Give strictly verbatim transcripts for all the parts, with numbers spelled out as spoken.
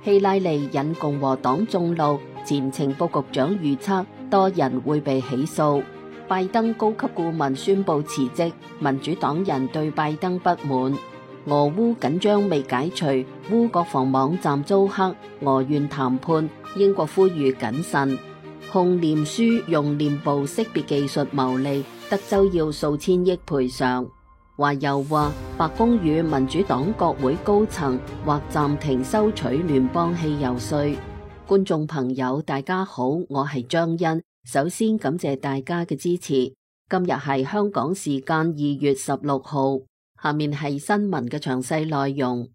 希拉里引共和黨眾怒，前情報局長預測多人會被起訴。拜登高級顧問宣布辭職，民主黨人對拜登不滿。俄烏緊張未解除，烏國防網站遭黑，俄願談判，英國呼籲謹慎。控臉書用臉部識別技術牟利，德州要數千億賠償。華油話，白宮與民主黨國會高層或暫停收取聯邦汽油稅。觀眾朋友，大家好，我係張欣。首先感謝大家嘅支持。今日係香港時間二月十六號，下面係新聞嘅詳細內容。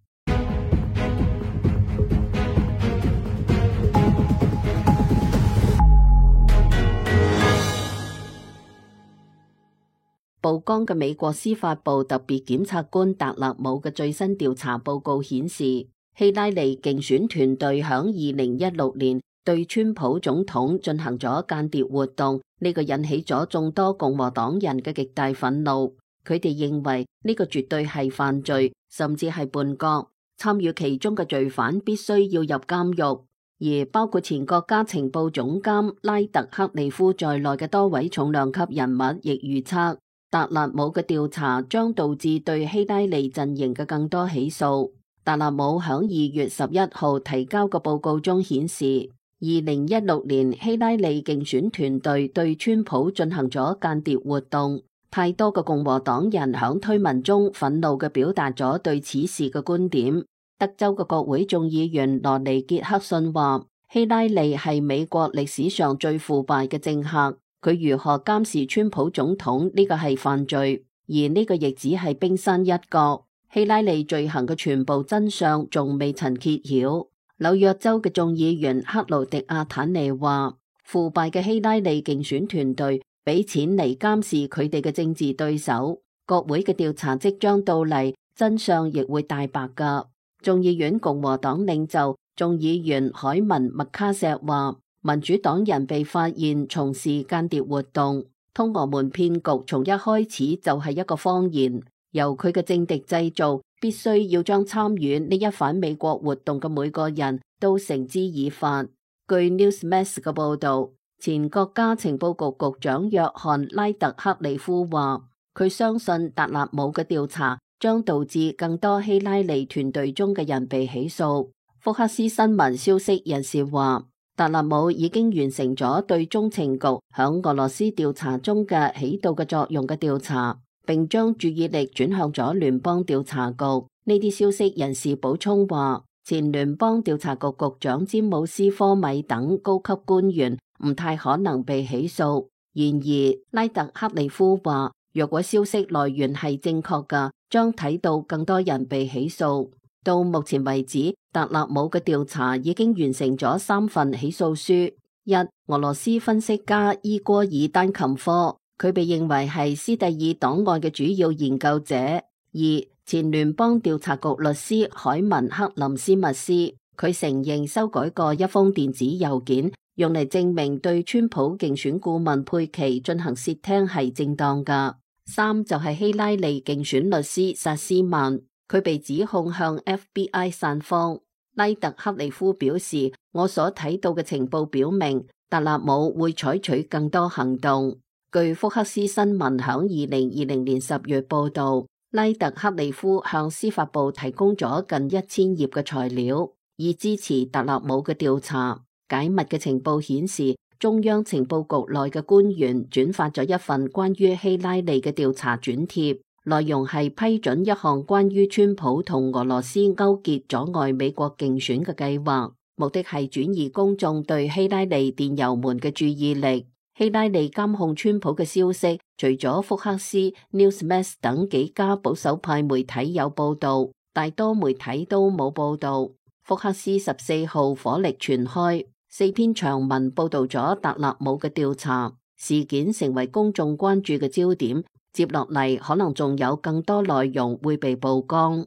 曝光嘅美國司法部特別檢察官達勒姆嘅最新調查報告顯示，希拉里競選團隊響二零一六年對川普總統進行咗間諜活動，呢個引起咗眾多共和黨人嘅極大憤怒。佢哋認為呢個絕對係犯罪，甚至係叛國，參與其中嘅罪犯必須要入監獄。而包括前國家情報總監拉特克利夫在內嘅多位重量級人物亦預測，達勒姆嘅調查將導致對希拉里陣營嘅更多起訴。達勒姆響二月十一號提交嘅報告中顯示，二零一六年希拉里競選團隊對川普進行咗間諜活動，太多嘅共和黨人響推文中憤怒嘅表達咗對此事嘅觀點。德州嘅國會眾議員羅尼傑克遜話，希拉里係美國歷史上最腐敗嘅政客，佢如何監視川普總統呢個係犯罪，而呢個亦只係冰山一角。希拉里罪行嘅全部真相仲未曾揭曉。紐約州嘅眾議員克勞迪亞坦尼話，腐敗嘅希拉里競選團隊俾錢嚟監視佢哋嘅政治對手。國會嘅調查即將到嚟，真相亦會大白噶。眾議院共和黨領袖眾議員海文麥卡錫話，民主黨人被發現從事間諜活動，通俄門騙局從一開始就係一個謊言，由佢嘅政敵製造，必須要將參與呢一反美國活動嘅每個人都繩之以法。據 Newsmax 嘅報道，前國家情報局局長約翰拉特克里夫話，佢相信達勒姆嘅調查將導致更多希拉里團隊中嘅人被起訴。福克斯新聞消息人士話，達勒姆已經完成咗對中情局響俄羅斯調查中嘅起到嘅作用嘅調查，並將注意力轉向咗聯邦調查局。呢啲消息人士補充話，前聯邦調查局局長詹姆斯科米等高級官員唔太可能被起訴。然而，拉特克里夫話，若果消息來源係正確嘅，將睇到更多人被起訴。到目前為止，達勒姆嘅調查已經完成咗三份起訴書。一、俄羅斯分析家伊戈爾丹琴科，佢被認為係斯蒂爾檔案嘅主要研究者。二、前聯邦調查局律師海文克林斯密斯，佢承認修改過一封電子郵件，用嚟證明對川普競選顧問佩奇進行竊聽係正當㗎。三、就係希拉里競選律師薩斯曼，佢被指控向 F B I 散謊。拉特克里夫表示，我所睇到嘅情報表明，達勒姆會採取更多行動。據福克斯新聞響二零二零年十月報道，拉特克里夫向司法部提供咗近一千頁嘅材料，以支持達勒姆嘅調查。解密嘅情報顯示，中央情報局內嘅官員轉發咗一份關於希拉里嘅調查轉貼，內容係批准一項關於川普同俄羅斯勾結阻礙美國競選嘅計劃，目的係轉移公眾對希拉里電郵門嘅注意力。希拉里監控川普嘅消息，除咗福克斯、Newsmax 等幾家保守派媒體有報道，大多媒體都冇報道。福克斯十四號火力全開，四篇長文報道咗達勒姆嘅調查事件，成為公眾關注嘅焦點。接落嚟可能仲有更多內容會被曝光。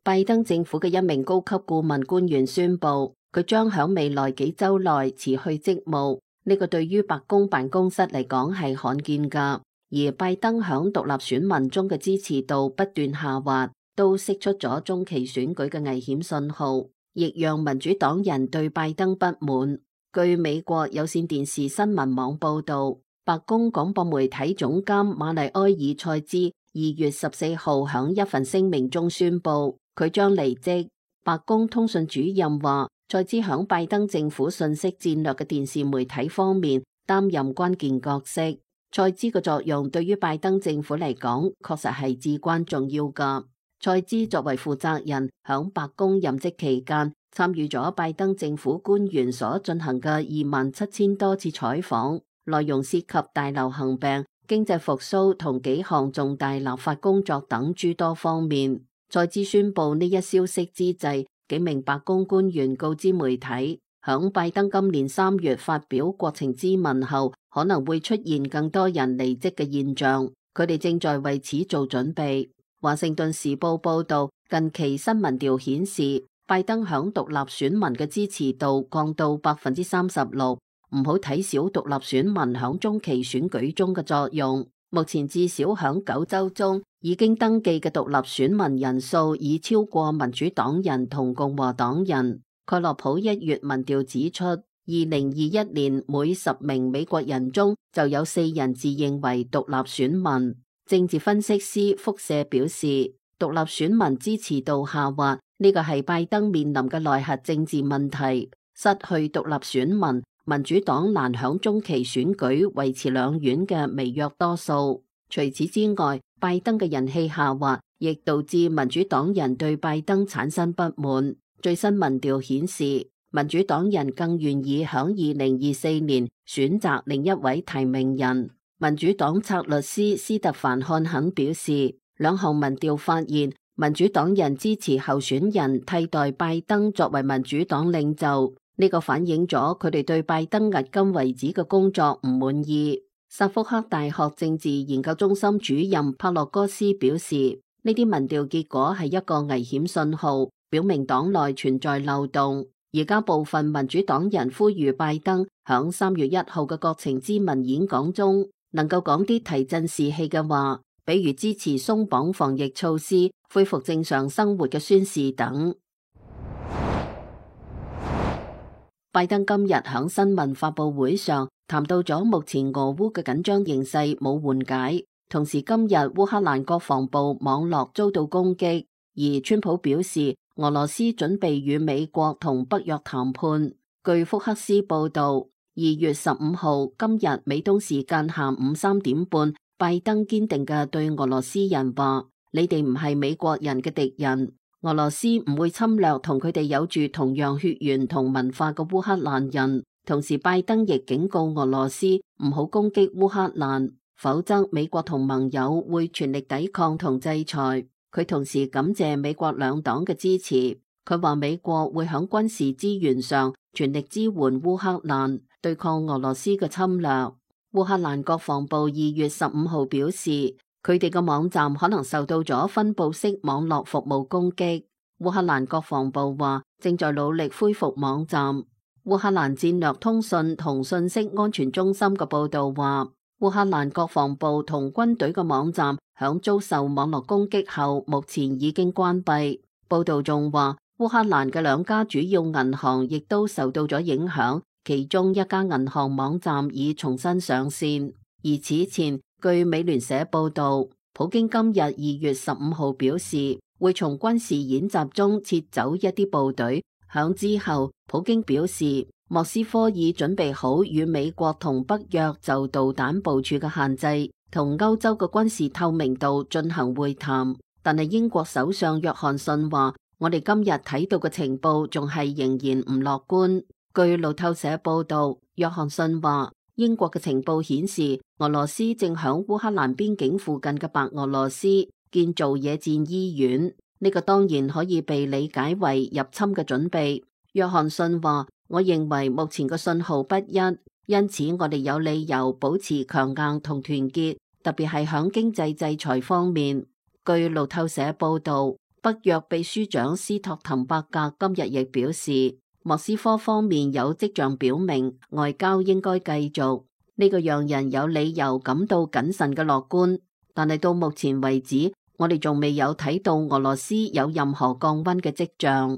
拜登政府嘅一名高級顧問官員宣布，佢將響未來幾周內辭去職務。呢個對於白宮辦公室嚟講係罕見噶。而拜登響獨立選民中嘅支持度不斷下滑，都釋出咗中期選舉嘅危險信號，亦讓民主黨人對拜登不滿。據美國有線電視新聞網報道，白宮廣播媒體總監馬麗埃爾塞茲二月十四號響一份聲明中宣布，佢將離職。白宮通訊主任話，塞茲響拜登政府信息戰略嘅電視媒體方面擔任關鍵角色。塞茲嘅作用對於拜登政府嚟講，確實係至關重要噶。塞茲作為負責人，響白宮任職期間，參與咗拜登政府官員所進行嘅二萬七千多次採訪，內容涉及大流行病、經濟復甦同幾項重大立法工作等諸多方面。塞茲宣布呢一消息之際，幾名白宮官員告知媒體，響拜登今年三月發表國情咨文後，可能會出現更多人離職嘅現象，佢哋正在為此做準備。華盛頓時報報道，近期新民調顯示，拜登響獨立選民嘅支持度降到百分之三十六。唔好睇小獨立選民響中期選舉中嘅作用。目前至少響九州中已經登記嘅獨立選民人數已超過民主黨人同共和黨人。蓋洛普一月民調指出，二零二一年每十名美國人中就有四人自認為獨立選民。政治分析師輻射表示，獨立選民支持度下滑，呢個係拜登面臨嘅內核政治問題。失去獨立選民，民主黨難響中期選舉維持兩院嘅微弱多數。除此之外，拜登嘅人氣下滑，亦導致民主黨人對拜登產生不滿。最新民調顯示，民主黨人更願意響二零二四年選擇另一位提名人。民主黨策略師斯特凡漢肯表示，兩項民調發現，民主黨人支持候選人替代拜登作為民主黨領袖。呢個反映咗佢哋對拜登迄今為止嘅工作唔滿意。薩福克大學政治研究中心主任帕洛哥斯表示，呢啲民調結果係一個危險信號，表明黨內存在漏洞。而家部分民主黨人呼籲拜登響三月一號嘅國情咨文演講中，能夠講啲提振士氣嘅話，比如支持鬆綁防疫措施、恢復正常生活嘅宣示等。拜登今日響新聞發佈會上談到咗目前俄烏嘅緊張形勢冇緩解，同時今日烏克蘭國防部網絡遭到攻擊，而川普表示俄羅斯準備與美國同北約談判。據福克斯報道，二月十五號今日美東時間下午三點半，拜登堅定嘅對俄羅斯人話：你哋唔係美國人嘅敵人。俄羅斯唔會侵略同佢哋有住同樣血緣同文化嘅烏克蘭人。同時，拜登亦警告俄羅斯唔好攻擊烏克蘭，否則美國同盟友會全力抵抗同制裁。佢同時感謝美國兩黨嘅支持。佢話美國會響軍事資源上全力支援烏克蘭，對抗俄羅斯嘅侵略。烏克蘭國防部二月十五號表示，佢哋嘅網站可能受到咗分布式網絡服務攻擊。烏克蘭國防部話正在努力恢復網站。烏克蘭戰略通訊同信息安全中心嘅報道話，烏克蘭國防部同軍隊嘅網站響遭受網絡攻擊後，目前已經關閉。報道仲話，烏克蘭嘅兩家主要銀行亦都受到咗影響，其中一家銀行網站已重新上線。而此前，據美聯社報道，普京今日二月十五號表示，會從軍事演習中撤走一啲部隊。響之後，普京表示，莫斯科已準備好與美國同北約就導彈部署嘅限制同歐洲嘅軍事透明度進行會談。但係英國首相約翰遜話，我哋今日睇到嘅情報仲係仍然唔樂觀。據路透社報道，約翰遜話，英國嘅情報顯示，俄羅斯正響烏克蘭邊境附近嘅白俄羅斯建造野戰醫院，呢個當然可以被理解為入侵嘅準備。約翰遜話，我認為目前嘅信號不一，因此我哋有理由保持強硬同團結，特別係響經濟制裁方面。據路透社報道，北約秘書長斯托滕伯格今日亦表示，莫斯科方面有跡象表明外交應該繼續，呢個讓人有理由感到謹慎嘅樂觀。但係到目前為止，我哋仲未有睇到俄羅斯有任何降溫嘅跡象。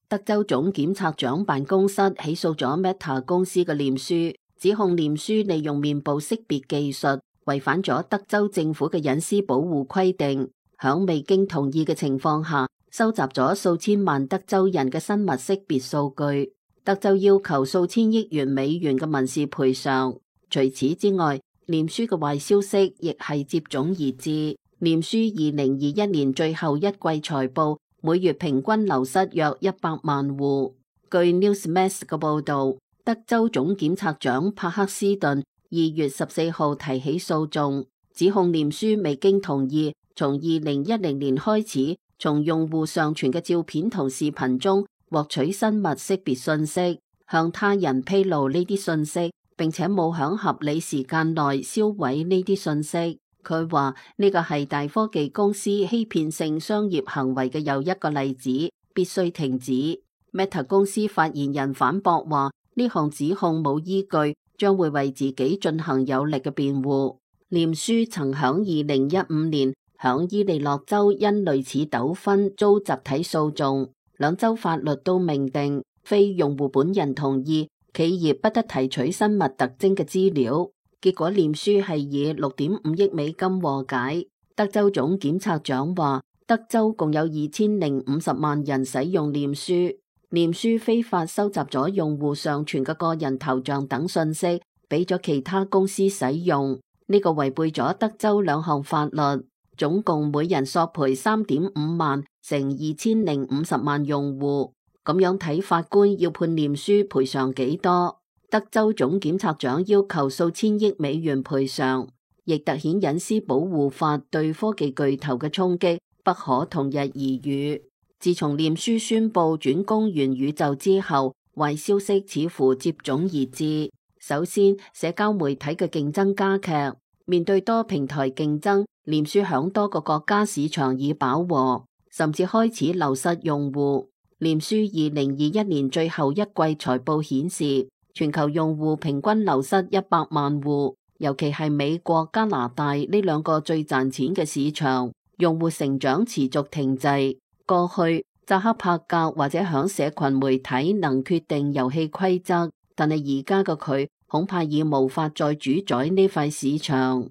德州總檢察長辦公室起訴咗 Meta 公司嘅臉書，指控臉書利用面部識別技術違反咗德州政府嘅隱私保護規定，響未經同意嘅情況下收集咗數千萬德州人嘅生物識別數據。德州要求數千億元美元嘅民事賠償。除此之外，臉書嘅壞消息亦係接踵而至。臉書二零二一年最後一季財報，每月平均流失約一百萬戶。據 Newsmax 嘅報導，德州總檢察長帕克斯頓二月十四號提起訴訟，指控臉書未經同意，從二零一零年開始，從用戶上傳嘅照片同視頻中獲取生物識別信息，向他人披露呢啲信息，並且冇響合理時間內銷毀呢啲信息。佢話呢個係大科技公司欺騙性商業行為嘅又一個例子，必須停止。Meta 公司發言人反駁話，呢項指控冇依據，將會為自己進行有力嘅辯護。臉書曾響二零一五年響伊利諾州因類似糾紛遭集體訴訟，兩州法律都明定，非用戶本人同意，企業不得提取生物特徵嘅資料。結果臉書係以六點五億美金和解。德州總檢察長話，德州共有二千零五十萬人使用臉書，臉書非法收集咗用戶上傳嘅個人頭像等信息，俾咗其他公司使用，呢個違背咗德州兩項法律，總共每人索賠三點五萬，乘二千零五十萬用戶。咁樣睇，法官要判臉書賠償幾多？德州總檢察長要求數千億美元賠償，亦凸顯隱私保護法對科技巨頭嘅衝擊不可同日而語。自從臉書宣布轉攻元宇宙之後，壞消息似乎接踵而至。首先，社交媒體嘅競爭加劇，面對多平台競爭，臉書響多個國家市場已飽和，甚至開始流失用戶。臉書二零二一年最後一季財報顯示，全球用戶平均流失一百萬戶，尤其係美國、加拿大呢兩個最賺錢嘅市場，用戶成長持續停滯。過去扎克伯格或者響社群媒體能決定遊戲規則，但係而家嘅佢恐怕已無法再主宰呢塊市場。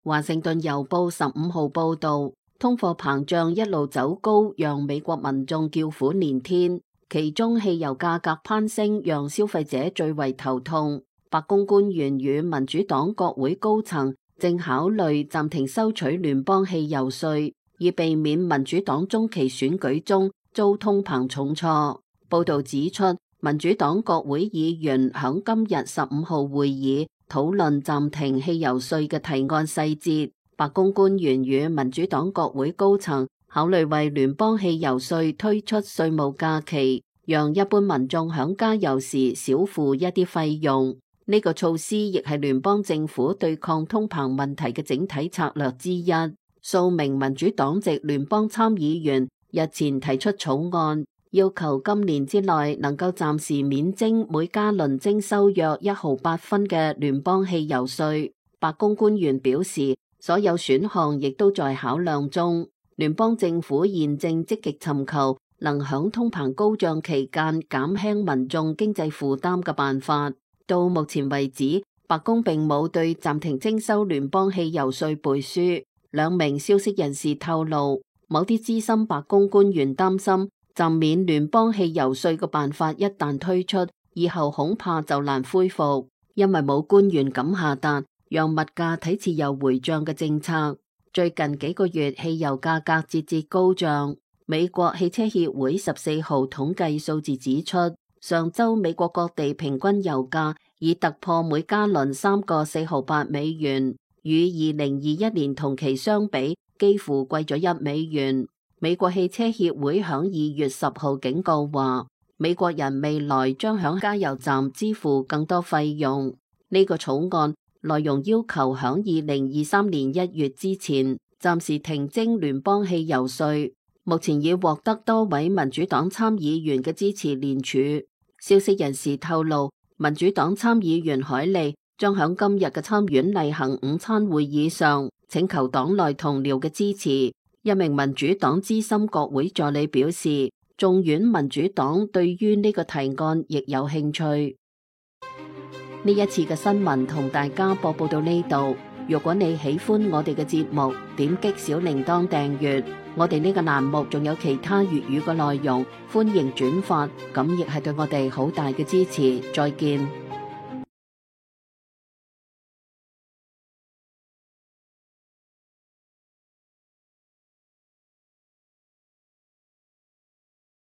華盛頓郵報十五號報道，通貨膨脹一路走高，讓美國民眾叫苦連天。其中汽油價格攀升讓消費者最為頭痛。白宮官員與民主黨國會高層正考慮暫停收取聯邦汽油稅，以避免民主黨中期選舉中遭通膨重挫。報道指出，民主黨國會議員響今日十五號會議討論暫停汽油稅嘅提案細節。白宮官員與民主黨國會高層考慮為聯邦汽油稅推出稅務假期，讓一般民眾響加油時少付一啲費用。呢個措施亦係聯邦政府對抗通膨問題嘅整體策略之一。數名民主黨籍聯邦參議員日前提出草案，要求今年之內能夠暫時免徵每加侖徵收約一毫八分嘅聯邦汽油稅。白宮官員表示，所有選項亦都在考量中。聯邦政府現正積極尋求能響通膨高漲期間減輕民眾經濟負擔嘅辦法。到目前為止，白宮並冇對暫停徵收聯邦汽油稅背書。兩名消息人士透露，某啲資深白宮官員擔心暫免聯邦汽油稅嘅辦法一旦推出，以後恐怕就難恢復，因為冇官員敢下達讓物價睇似有回漲嘅政策。最近幾個月，汽油價格節節高漲。美國汽車協會十四號統計數字指出，上週美國各地平均油價已突破每加侖三個四毫八美元，與二零二一年同期相比，幾乎貴咗一美元。美國汽車協會響二月十號警告話，美國人未來將響加油站支付更多費用。呢個草案內容要求響二零二三年一月之前暫時停徵聯邦汽油稅，目前已獲得多位民主黨參議員嘅支持聯署。消息人士透露，民主黨參議員海利將響今日嘅參院例行午餐會議上請求黨內同僚嘅支持。一名民主黨資深國會助理表示，眾院民主黨對於呢個提案亦有興趣。呢一次嘅新聞同大家播報到呢度。如果你喜歡我哋嘅節目，點擊小鈴鐺訂閱。我哋呢個欄目仲有其他粵語嘅內容，歡迎轉發，咁亦係對我哋好大嘅支持。再見。